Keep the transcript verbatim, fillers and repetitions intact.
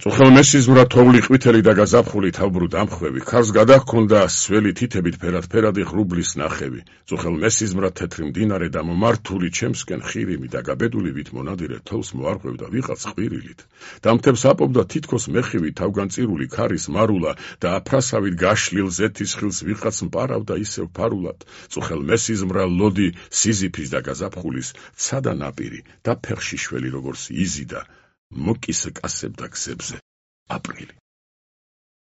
წუხელმესიზმრა თოვლი ყვითელი და გაზაფხული თავბრუ დამხვევი, ქარს გადაჰქონდა სველი თითებით ფერად-ფერადი ღრუბლის ნახევი, წუხელმესიზმრა თეთრი მდინარე და მომართული ჩემსკენ ხირიმი და გაბედულივით მონადირე თოვს მოარღვევდა ვიღაც ყვირილით. დამთებს აპობდა თითქოს მეხივი თავგანწირული ქარის მარულა და აფრასავით გაშლილ ზეთის ხილს ვიღაც მპარავდა ისევ ფარულად. წუხელმესიზმრა ლოდი სიზიფის და გაზაფხულის ცადა ნაპირი და ფეხში შველი როგორც იზიდა მოკის კასებდა გზებზე აპრილი.